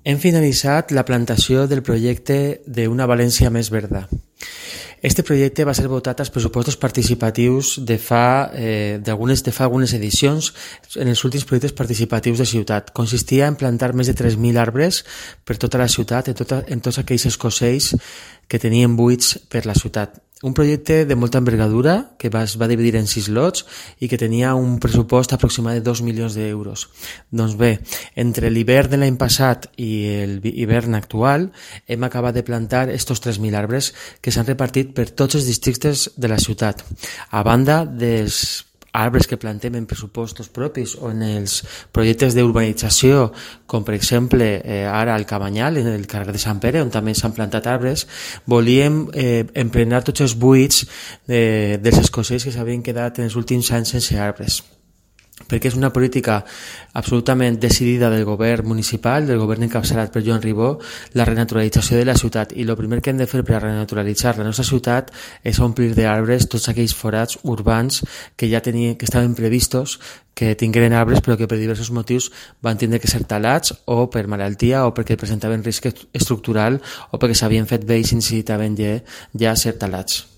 Hem finalitzat la plantació del projecte d'Una València més verda. Este projecte va ser votat als pressupostos participatius de fa algunes edicions en els últims projectes participatius de ciutat. Consistia en plantar més de 3.000 arbres per tota la ciutat, en tots aquells escocells que tenien buits per la ciutat. Un projecte de molta envergadura que es va dividir en 6 lots i que tenia un pressupost aproximat de 2 milions d'euros. Doncs bé, entre l'hivern de l'any passat i l'hivern actual hem acabat de plantar estos 3.000 arbres que s'han repartit per tots els districtes de la ciutat. A banda dels arbres que plantem en pressupostos propis o en els projectes d'urbanització, com per exemple ara al Cabanyal, en el carrer de Sant Pere, on també s'han plantat arbres, volíem emplenar tots els buits dels escocells que s'havien quedat en els últims anys sense arbres, perquè és una política absolutament decidida del govern municipal, del govern encapçalat per Joan Ribó, la renaturalització de la ciutat, i el primer que hem de fer per a renaturalitzar la nostra ciutat és omplir d'arbres tots aquells forats urbans que ja estaven previstos que tingueren arbres però que per diversos motius van tindre que ser talats o per malaltia o perquè presentaven risc estructural o perquè s'havien fet vells i necessitaven ja ser talats.